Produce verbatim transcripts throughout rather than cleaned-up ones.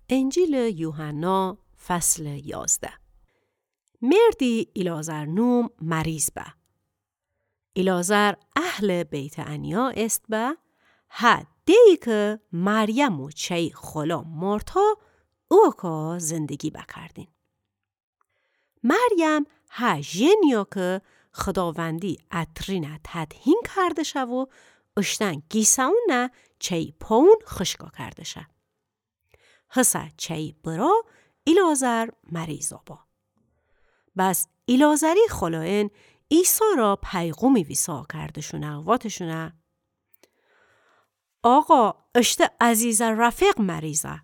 انجیلٚ یوحنا، فصلٚ یازده. مردی ایلعازر نوم مریض به. ایلعازر اهلٚ بیت‌عنیا ایسه به، هه ده‌یی کی مریم و چه‌یی خؤله مارتا اوکا زندگی بکردین. مریم هه ژنی‌یه کی خوداوندی عطرینه تدهین کرده‌شه و اوشتن گیسه‌ونه چه‌یی پاون خوشکا کرده‌شه. هسه چه‌یی برا ایلعازر مریضا با. بس ایلعازری خؤلوئن عیسی را پیغومی ویسا کرده‌شونه، واته‌شونه: آقا، اشته عزیزٚ رفیق مریضه.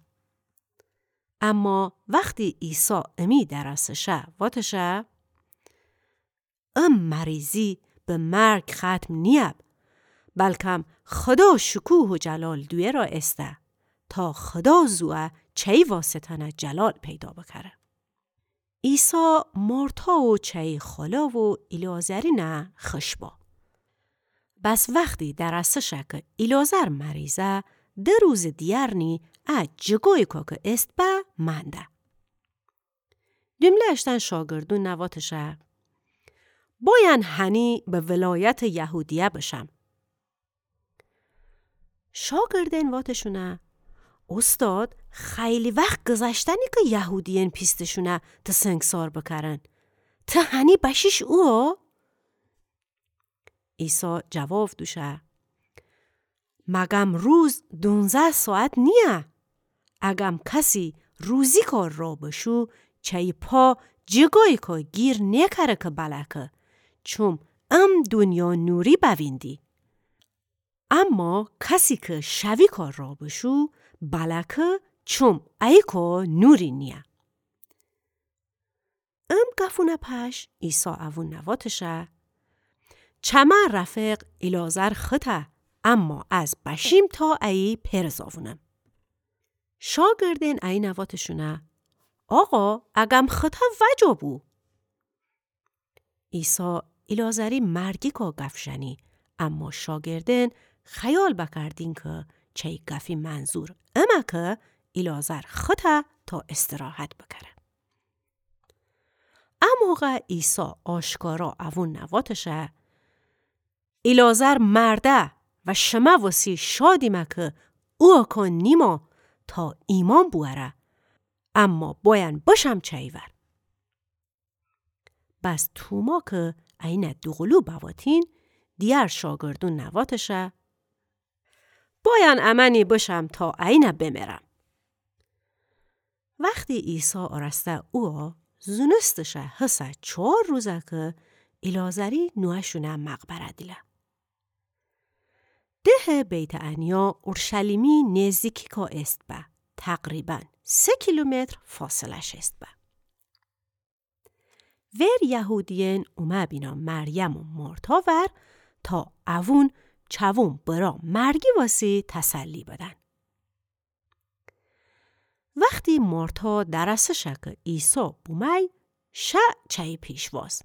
اما وختی عیسی امی درسه شه، واته‌شه: ام مریضی به مرگ ختم نییب، بلکم خودا شکوه و جلال دویه را ایسته، تا خودا زوه چه‌یی واسطه‌نه جلال پیدا بکره. عیسی مارتا و چه‌یی خؤله و ایلعازرینه خوش با. بس وختی درسه شه کی ایلعازر مریضه، ده روزٚ دیگر نی ا جیگویی کی ایسه به منده. جمله اشتن شاگردون واته‌شه: بویان هنی به ولایتٚ یهودیه بشم. شاگردن واته‌شونه: اوستاد، خیلی وخت گذشته نی کی یهودیأن پیسته‌شونه ته سنگسار بکرن. ته هنی بشیش اوه؟ عیسی جواب دوشه: مگم روز دونزده ساعت نییه؟ اگم کسی روزیکا را بشو، چه‌یی پا جیگوییکا گیر نیکره کی بلکه، چوم ام دونیا نوری بویندی. اما کسی کی شویکا را بشو، بلکه چوم ایکو نوری نییه. ام گفونه پش عیسی اوون واته‌شه: چمه رفیق ایلعازر خوطه، اما از بشیم تا ایی پئر زاوونم. شاگردن اینه واته‌شونه: آقا، اگم خوطه وجا بو. عیسی ایلعازری مرگیکا گف ژنی، اما شاگردن خیال بکردین کی چی گفی منظور امه کی ایلعازر خوطه تا استراحت بکره. ا موقع عیسی آشکارا اوون واته‌شه: ایلعازر مرده و شمه وسی شادیمه کی اوکان نیما تا ایمأن بوأره، اما بایأن بشم چی‌ور. بس توما کی اینه دوقلو بواتین، دیگر شاگردون واته‌شه: بایأن امأنی بشم تا اینه بمرم. وختی عیسی اورسته اویه، زونسته‌شه هسه چهار روزه کی ایلعازری نوأشونه مقبره دیله. دهٚ بیت‌عنیا اورشلیمی نیزدیکیکا ایسه به، تقریباً سه کیلومتر فاصله‌ش ایسه به. ویر یهودیأن اومه بینا مریم و مارتا ور تا اوون چوون برا مرگی وسی تسلی بدن. وختی مارتا درسه شه کی عیسی بومی، شه چی پیشواز.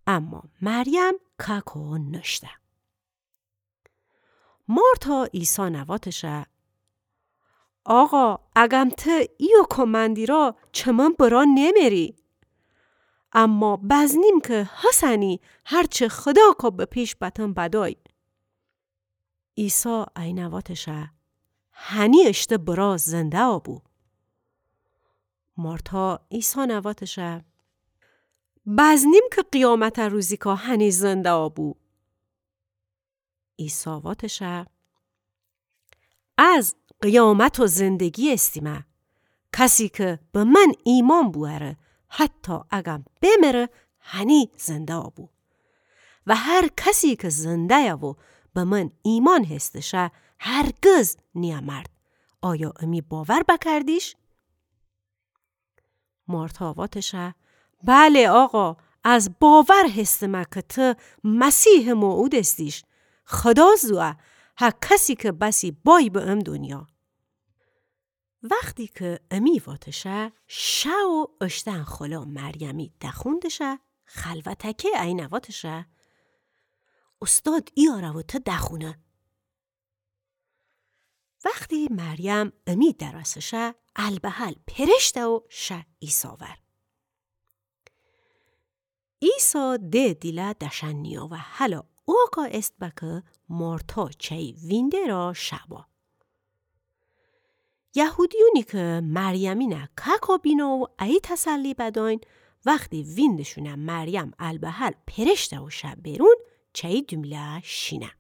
اما مریم کاکو نشته. مارتا عیسی واته‌شه: آقا، اگم ته ایوکو مأندی را چمن برا نمری. اما بزنیم کی هسنی هرچه خدا کو به پیش بتن بدای. عیسی اینه واته‌شه: هنی اشته برا زنده بو. مارتا عیسی واته‌شه: بزنیم کی قیامت روزیکا هنی زنده بو. عیسی واته‌شه: از قیامت و زندگی ایستیمه. کسی کی به من ایمأن بوأره، حتی اگم بمره، هنی زنده بو. و هر کسی کی زنده‌یه و به من ایمأن هسته‌شه، هرگز نیمرد. آیا امی باور بکردیش؟ مارتا واته‌شه: بله آقا، از باور هستمه کی ته مسیحٚ موعود استیش. خدا زوه، هه کسی کی بسی بای به ام دونیا. وختی کی امی واته‌شه، شه و اشتن خلا مریمی دخونده‌شه، خلوتکه اینه واته‌شه: اوستاد ایاره و ته دخونه. وختی مریم امی درسه شه، البهل پرشته و شه عیسی ور. عیسی ده دیله دشأن نیاوه، هلا اوکا ایسه به که مارتا چأیی وینده را شه با. یهودیونی که مریمینه کاکا بینه و ایی تسلی بدأین، وختی ویندشونه مریم البهل پرشته و شه برون، چأیی دومله شینه.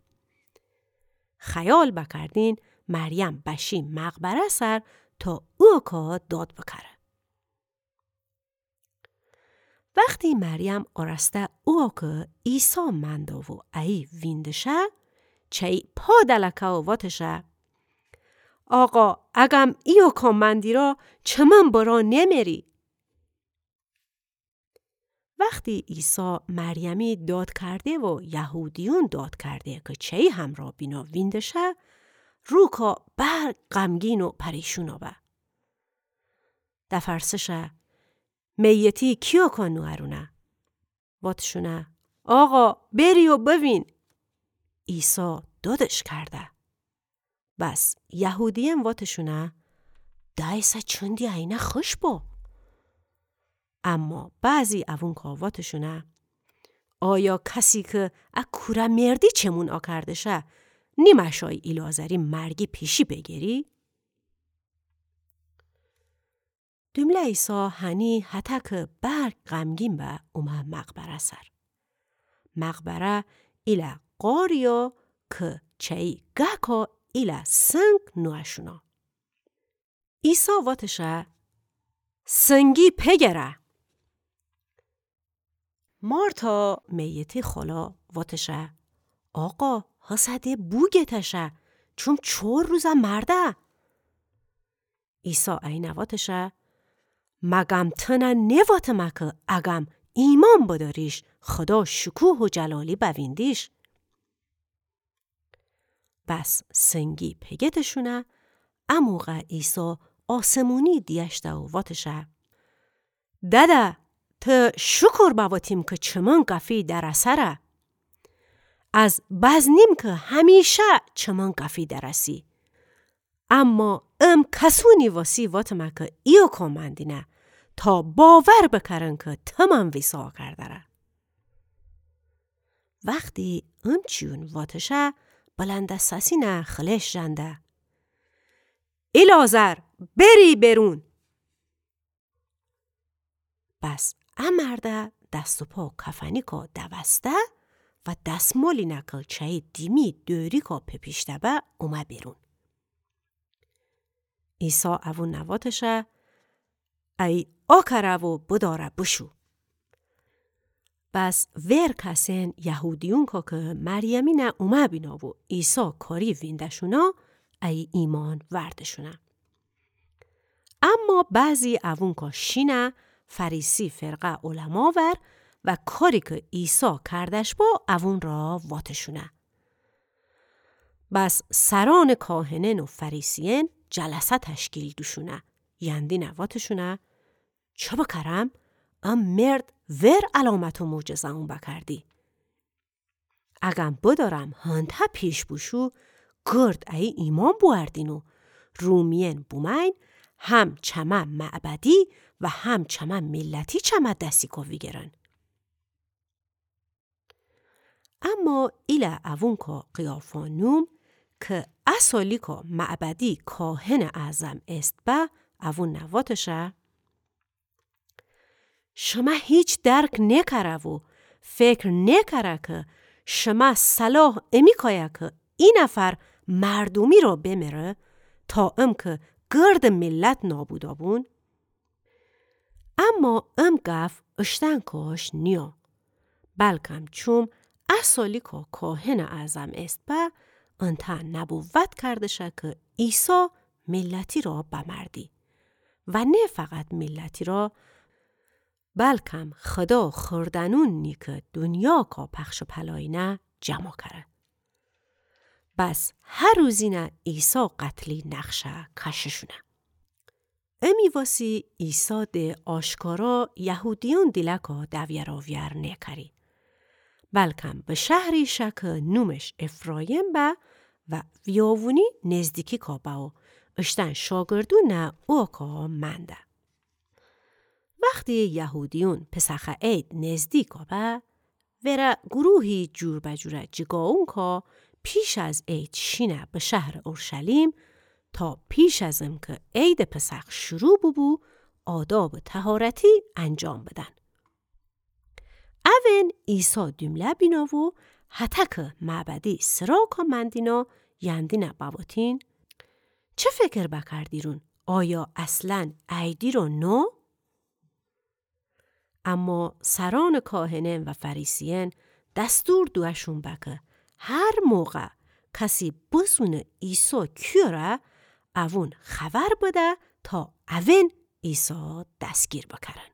خیال بکردین مریم بشی مقبره سر تا اوکا داد بکره. وختی مریم آراسته اوکه عیسی مأنده و ایی وینده شه، چأیی پا دلکه و واتشه: آقا، اگم ایوکا مأندی را، چمن برا نمری. وختی عیسی مریمی داد کرده و یهودیون داد کرده که چأیی همرا بینا وینده شه، روکا برگ غمگین و پریشونا به. دفرسه شه: میتی کیوکا نوأرونه؟ واتشونه: آقا، بری و بوین. عیسی دادش کرده. بس یهودیأن واتشونه: دأیسه چندی اینه خوش با. اما بعضی اوونکا واتشونه: آیا کسی که ا کوره مردی چمون آکرده شه، نیمه شأی ایلعازری مرگی پیشی بگیری؟ دومله عیسی هنی هتک برگ غمگین به اومه مقبره سر. مقبره ایله غاریا که چأیی گکا ایله سنگ نوأشونا. عیسی واتشه: سنگی پگره. مارتا میتی خالا واتشه: آقا، هسه ده بوگیته شه، چوم چار روزه مرده. عیسی اینه واتشه: مگم تنه نیواتمه که اگم ایمأن بدأریش، خدا شکوه و جلالی بویندیش؟ بس سنگی پگتشونه، اموقع عیسی آسمونی دیأشته و واتشه: دده، ته شکر بواتیم که چمن گفی درسره. از بزنیم که همیشه چمن گفی درسی. اما ام کسونی واسی واتمه که ایوکا مأندینه، تا باور بکرن که تمن ویسا کردره. وختی امچیون واتشه، بلندسسینه خلش ژنده: ایلعازر، بری برون! بس ا مرده دست و پا کفنیکا دوسته و دسمالینه که چأیی دیمی دوریکا پپیشته به اومه بیرون. عیسی اوونه واتشه: ای آکره و بداره بشو. بس وئر کسین یهودیونکا که مریمینه اومه بینا و عیسی کاری وینده‌شونا، ای ایمأن ورده‌شونه. اما بعضی اوونکا شینه فریسی فرقه علما ور و کاری که عیسی کردش با اوون را واتشونه. بس سرأنٚ کاهنأن و فریسیأن جلسه تشکیل دوشونه، یندینه واتشونه: چه بکرم؟ ا مرد وئر علامت و معجزه‌أن بکردی. اگم بدأرم هنته پیش بوشو، گرد ایی ایمأن بوأردین و رومیأن بومأیین، هم چمه معبدی و هم چمه میلتی چمه دسیکا ویگیرن. اما ایله اوونکا قیافا نوم که ا سالیکا معبدی کاهنٚ اعظم ایسه به، اوونه واتشه: شمه هیچ درک نیکره و فکر نیکره که شمه صلاح امیکایه که ای نفر مردومی را بمره تا ام که گردٚ میلت نابودا بون؟ اما ام گف اشتنکاش نیه، بلکم چوم ا سالیکا کاهنٚ اعظم ایسه به، انتأ نبوت کردشه که عیسی میلتی را بمردی و نه فقط میلتی را، بلکم خدا خوردنونی که دونیاکا پخش و پلاینه جمع کره. بس هر روزینه عیسی قتلی نقشه کششونه. امی واسی عیسی ده آشکارا یهودیأن دیلکا دویراویار نیکری، بلکم به شهری شه که نومش افرایم به و ویاوونی نیزدیکیکا به و اشتأن شاگردونٚ اوکا منده. وختی یهودیون پسخٚ عید نزدیکا به، وره گروهی جور به جوره جیگاوون کا پیش از عید شینه به شهرٚ اورشلیم، تا پیش از انکه عیدٚ پسخ شروع بوبو، آدابٚ طهارتی انجام بدن. اون عیسی دومله بینا و هتکٚ معبدی سراکا مندینا یندینه بواتین: چه فکر بکردیرون؟ آیا اصلاً عیدی را نو؟ اما سرأنٚ کاهنأن و فریسیأن دستور دوأشون به که هر موقع کسی بزونه عیسی کیوره، اوون خبر بده تا اون عیسی دستگیر بکرن.